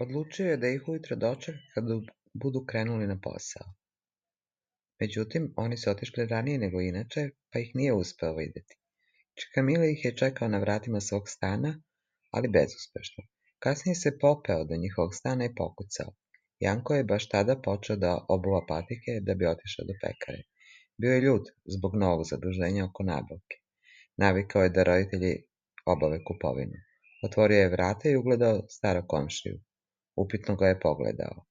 Odlučio je da ih ujutro dočeka kad budu krenuli na posao. Međutim, oni su otišli ranije nego inače, pa ih nije uspeo videti. Čika ih je čekao na vratima svog stana, ali bezuspešno. Kasnije se popeo do njihovog stana i pokucao. Janko je baš tada počeo da obuva patike da bi otišao do pekare. Bio je ljut zbog novog zaduženja oko nabavke. Navikao je da roditelji obave kupovinu. Otvorio je vrata i ugledao starog komšiju. Upitno ga je pogledao.